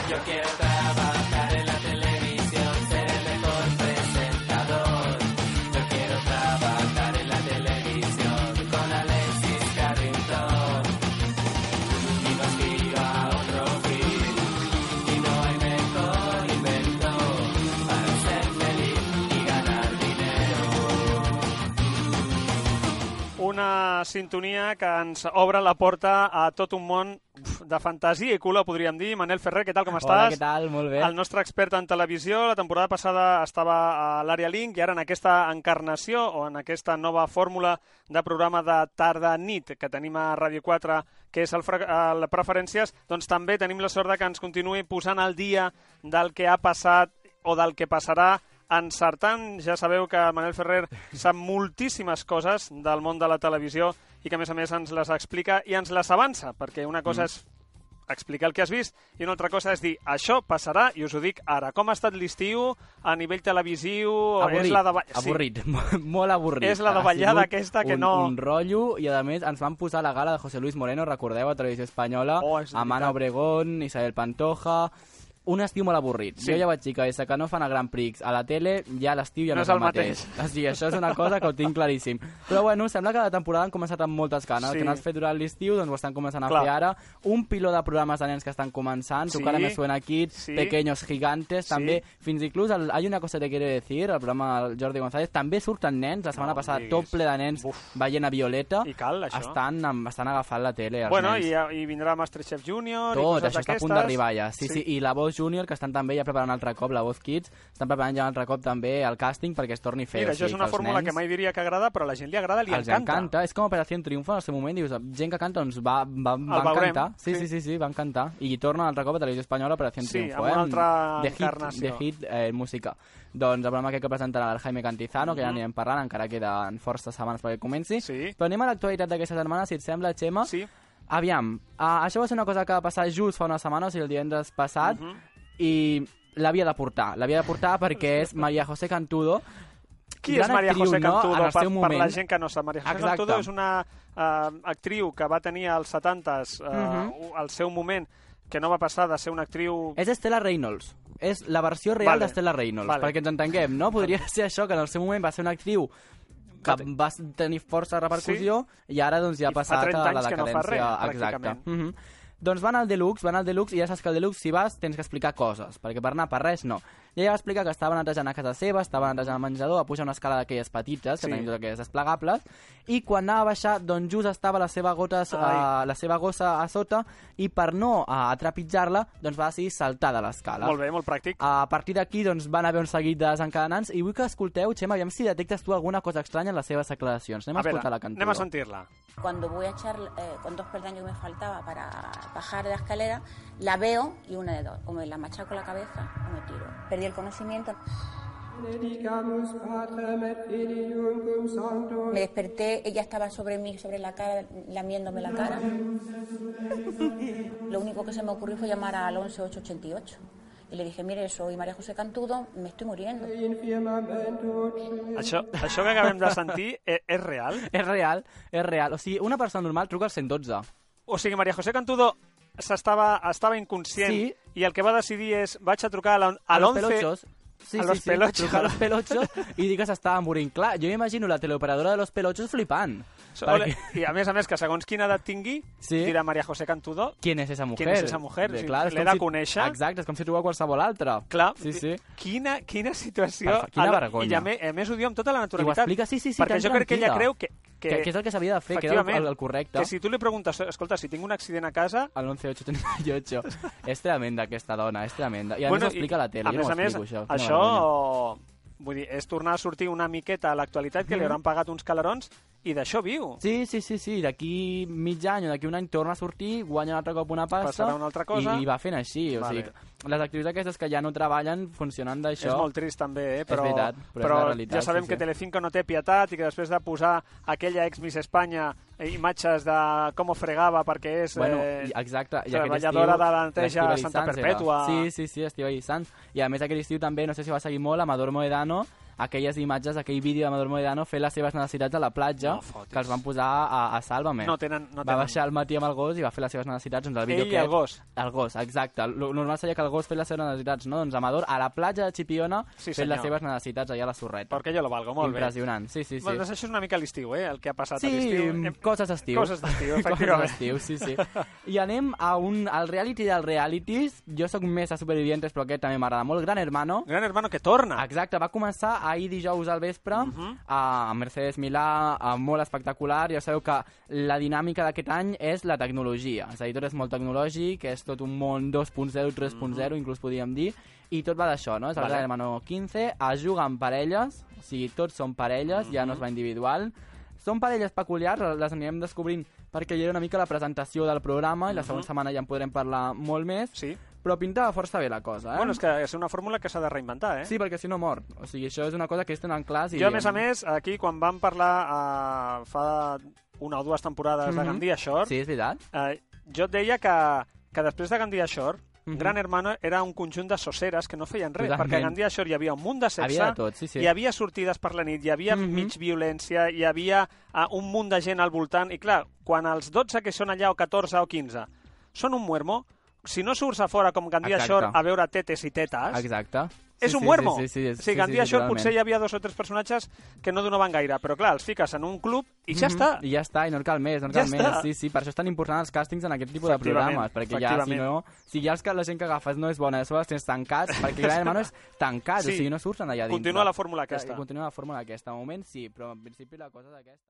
Yo quiero trabajar en la televisión, ser el mejor presentador. Yo quiero trabajar en la televisión con Alexis Carrington. Y no aspiro a otro fin, y no hay mejor invento para ser feliz y ganar dinero. Una sintonia que ens obre la porta a tot un món de fantasia i color, podríem dir. Manel Ferrer, què tal, com estàs? Hola, què tal? Molt bé. El nostre expert en televisió, la temporada passada estava a l'Àrea Link i ara en aquesta encarnació o en aquesta nova fórmula de programa de tarda-nit que tenim a Ràdio 4, que és el Preferències, doncs també tenim la sort de que ens continuï posant al dia del que ha passat o del que passarà, encertant. Ja sabeu que Manel Ferrer sap moltíssimes coses del món de la televisió i que, a més, ens les explica i ens les avança, perquè una cosa és explicar el que has vist i una altra cosa és dir, això passarà, i us ho dic ara. Com ha estat l'estiu a nivell televisiu? Avorrit, és la de... avorrit, molt avorrit. És la davallada aquesta que no... Un rotllo, i a més ens van posar la gala de José Luis Moreno, recordeu, a Televisió Espanyola, amb Ana Obregón, Isabel Pantoja... Un estiu molt avorrit. Sí. Jo ja vaig dir que des que no fan el Grand Prix a la tele, ja l'estiu ja no és el mateix. O sigui, això és una cosa que ho tinc claríssim. Però bueno, sembla que la temporada han començat amb moltes ganes. Sí. El que no has fet durant l'estiu, doncs ho estan començant a fer ara. Un piló de programes de nens que estan començant. Sí. Tu cara me suena Kids, Pequeños Gigantes, també. Fins inclús Hay una cosa que te quiero decir, el programa del Jordi González, també surten nens. La setmana passada tot ple de nens veient a Violeta. I cal, això. Estan agafant la tele, els nens. I vindrà Masterchef Junior tot, i coses això està a punt d'arribar ja. Sí. I la Voz Junior, que estan també ja preparant un altre cop, la Voz Kids, estan preparant ja un altre cop també el càsting perquè es torni a fer. Mira, això és una fórmula que mai diria que agrada, però a la gent li agrada, li encanta. És com Operació Triunfo en el seu moment, dius, gent que canta, doncs va encantar. Sí, va encantar. I torna un altre cop a Televisió Espanyola, Operació Triunfo. Sí, amb una altra encarnació. De hit música. Doncs el programa que presentarà el Jaime Cantizano, que ja anirem parlant, encara queden forces setmanes perquè comenci. Però anem a l'actualitat d'aquesta setmana, si et sembla, Xema. Sí. Aviam, això va ser una cosa que va passar just fa una setmana, o sigui, el divendres passat, i l'havia de portar perquè és María José Cantudo. Qui és María José Cantudo? Per la gent que no sap, María José Cantudo és una actriu que va tenir als 70s al seu moment, que no va passar de ser una actriu... És Estela Reynolds, és la versió real d'Estela Reynolds, perquè ens entenguem, no? Podria ser això, que en el seu moment va ser una actriu que va tenir força repercussió i ara doncs ja ha passat a la decadència. Fa 30 anys que no fa res, pràcticament. Doncs van al Deluxe i ja saps que al Deluxe si vas tens que explicar coses, perquè per anar per res no. I ella va explicar que estava netejant a casa seva, estava netejant al menjador, va pujar una escala d'aquelles petites, que tenim totes aquelles desplegables, i quan anava a baixar, doncs just estava la seva gossa a sota, i per no trepitjar-la, doncs va decidir saltar de l'escala. Molt bé, molt pràctic. A partir d'aquí, doncs van haver un seguit de desencadenants, i vull que escolteu, Xema, aviam si detectes tu alguna cosa estranya en les seves declaracions. Anem a escoltar la Cantudo. Anem a sentir-la. Cuando voy a echar con 2 peldaños que me faltaba para bajar de la escalera, la veo y una de dos, o me la machaco la cabeza o me tiro. Perdí el conocimiento. Me desperté, ella estaba sobre mí, sobre la cara, lamiéndome la cara. Lo único que se me ocurrió fue llamar al 11888. Y le dije, mire, soy María José Cantudo, me estoy muriendo. Això que acabem de sentir és real? És real. O sigui, una persona normal truca al 112. O sigui, María José Cantudo estava inconscient i el que va decidir és vaig a trucar a l'11... Sí, trucar a los pelochos i dir que s'estava morint. Clar, jo m'imagino la teleoperadora de los pelochos flipant. I a més, que segons quina edat tingui, dirà María José Cantudo... ¿Quién es esa mujer? L'he de conèixer. Exacte, és com si truca qualsevol altra. Clar, quina situació... Quina vergonya. I a més ho diu amb tota la naturalitat. I ho explica, sí, perquè jo crec que ella creu que és el que s'havia de fer, que era el correcte. Que si tu li preguntes, escolta, si tinc un accident a casa... Al 11888. És tremenda aquesta dona, és tremenda. I a més ho explica a la tele, jo no ho explico, això. Vull dir, és tornar a sortir una miqueta a l'actualitat, que li hauran pagat uns calarons, i d'això viu. Sí. D'aquí mig any o d'aquí un any torna a sortir, guanya un altre cop una pasta... Passarà una altra cosa. I va fent així. O sigui, les activitats aquestes que ja no treballen funcionen d'això. És molt trist també, però, és veritat, però és realitat, ja sabem que Telecinco no té pietat i que després de posar aquella ex-Miss Espanya imatges de com ho fregava perquè és treballadora de la neteja a Santa Perpètua. Sí, Estíbaliz Sanz. I a més aquest estiu també, no sé si va seguir molt, Amador Moedano, aquelles imatges, aquell vídeo de Amador Moedano fent les seves necessitats a la platja, que els van posar a Sálvame. No tenen. Va baixar al matí amb el gos i va fer les seves necessitats. Doncs el vídeo Ell i el gos. El gos, exacte. Normal seria que el gos fes les seves necessitats, no? Doncs Amador a la platja de Chipiona fent les seves necessitats allà a la sorreta. Perquè jo lo valgo, molt impressionant. bé. Sí. Bueno, doncs això és una mica l'estiu, el que ha passat a Sí, l'estiu. coses d'estiu. Coses d'estiu, efectivament. Sí. I anem al reality dels realities. Jo sóc més a Supervivientes, però aquest també m'agrada molt. Gran Hermano. Gran Hermano que torna. Exacte, va començar ahir dijous al vespre a Mercedes Milà, molt espectacular. Ja sabeu que la dinàmica d'aquest any és la tecnologia. És a dir, tot és molt tecnològic, és tot un món 2.0, 3.0, inclús podríem dir, i tot va d'això, no? És el Gran Hermano 15, es juga en parelles, o sigui, tots són parelles, ja no es va individual. Són parelles peculiars, les anirem descobrint perquè hi era una mica la presentació del programa i la següent setmana ja en podrem parlar molt més. Sí. Però pintava força bé la cosa, Bueno, és que és una fórmula que s'ha de reinventar, Sí, perquè si no mor. O sigui, això és una cosa que ells tenen clars. Jo, a més, aquí, quan vam parlar fa una o dues temporades de Gandia Shore... Sí, és veritat. Jo et deia que després de Gandia Shore, Gran Hermano era un conjunt de soceres que no feien res, perquè a Gandia Shore hi havia un munt de sexe, havia de tot, sí. Hi havia sortides per la nit, hi havia mig violència, hi havia un munt de gent al voltant, i clar, quan els 12 que són allà, o 14 o 15, són un muermo, si no surts a fora com Gandia Shore a veure tetes i tetes, és un muermo. Sí, Gandia Shore potser hi havia 2 o 3 personatges que no donaven gaire, però clar, els fiques en un club i ja està. I ja està, i no cal més, Sí, per això és tan important els càstings en aquest tipus de programes, perquè ja, si no, si ja la gent que agafes no és bona, després els tens tancats, perquè Gran Hermano és tancat, o sigui, no surten allà dintre. Continua la fórmula aquesta. Continua la fórmula aquesta. De moment sí, però en principi la cosa és aquesta.